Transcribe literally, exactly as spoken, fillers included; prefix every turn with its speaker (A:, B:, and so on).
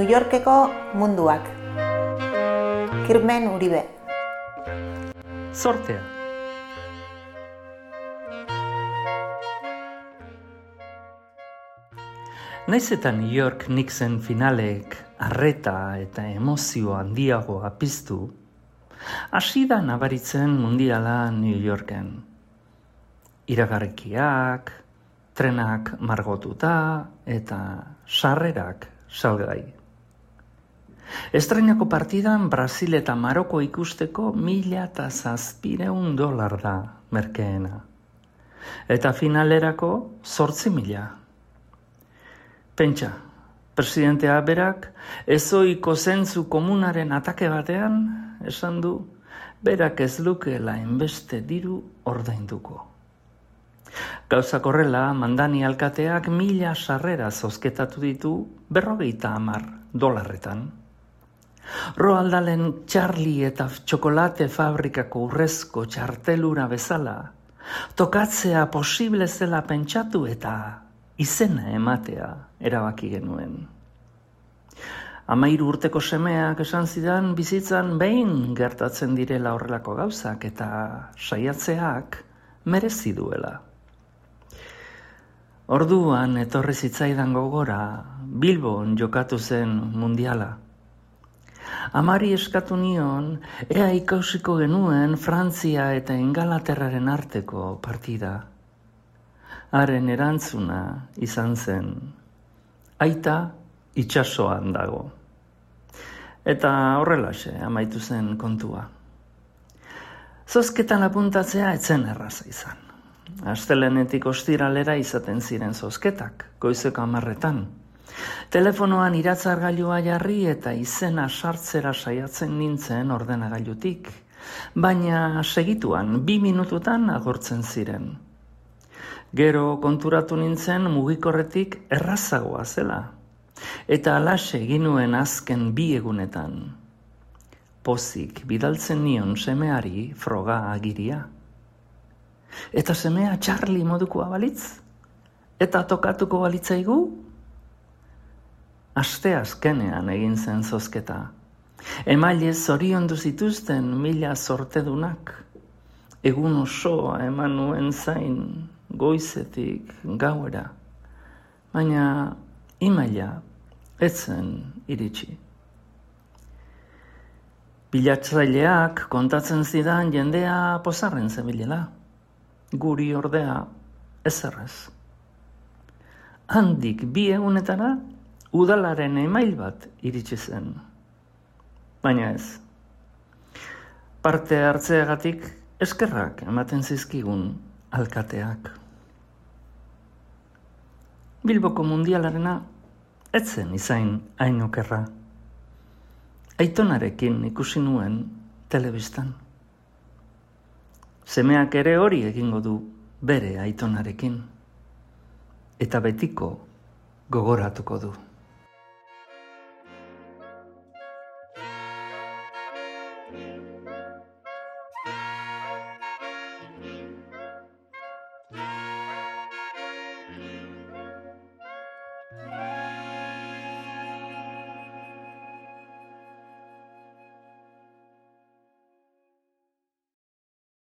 A: New Yorkeko munduak. Kirmen Uribe.
B: Zortea. Naiz eta New York Knicksen finalek arreta eta emozio handiagoa piztu, hasi da nabaritzen mundiala New Yorken. Iragarkiak, trenak margotuta eta sarrerak salgai. Estreinako partidan Brasil eta Maroko ikusteko mila eta zazpireun dolar da merkeena. Eta finalerako zortzi mila. Pentsa, presidentea berak ezoiko zentzu komunaren atake batean esan du berak ez lukeela hainbeste diru ordainduko. Gauzak horrela, Mandani alkateak mila sarrera zozketatu ditu berrogeita hamar dolarretan. Roald Dahlen Charlie eta txokolate fabrikako urrezko txartelura bezala, tokatzea posible zela pentsatu eta izena ematea erabaki genuen. Hamairu urteko semeak esan zidan bizitzan behin gertatzen direla horrelako gauzak eta saiatzeak merezi duela. Orduan etorri zitzaidan gogora Bilbon jokatu zen mundiala. Amari eskatu nion ea ikausiko genuen Frantzia eta Ingalaterraren arteko partida. Haren erantzuna izan zen, aita itsasoan dago. Eta horrelaxe amaitu zen kontua. Zozketan apuntatzea etzen erraza izan. Astelehenetik ostiralera izaten ziren zozketak, goizeko hamarretan. Telefonoan iratzargailua jarri eta izena sartzera saiatzen nintzen ordenagailutik, baina segituan bi minututan agortzen ziren. Gero konturatu nintzen mugikorretik errazagoa zela, eta alaxe ginuen azken bi egunetan. Pozik bidaltzen nion semeari froga agiria. Eta semea Charlie modukoa balitz? Eta tokatuko balitzaigu? Aste azkenean egin zen zozketa. Emaile zoriondu zituzten mila zortedunak. Egun osoa eman nuen zain, goizetik gauera. Baina imaila etzen iritsi. Bilatzaileak kontatzen zidan jendea pozarren zebilela. Guri ordea ezerrez. Handik bi egunetara udalaren email bat iritsi zen. Baina ez. Parte hartzeagatik eskerrak ematen zizkigun alkateak. Bilboko mundialarena etzen izain hain okerra. Aitonarekin ikusi nuen telebistan. Semeak ere hori egingo du bere aitonarekin. Eta betiko gogoratuko du.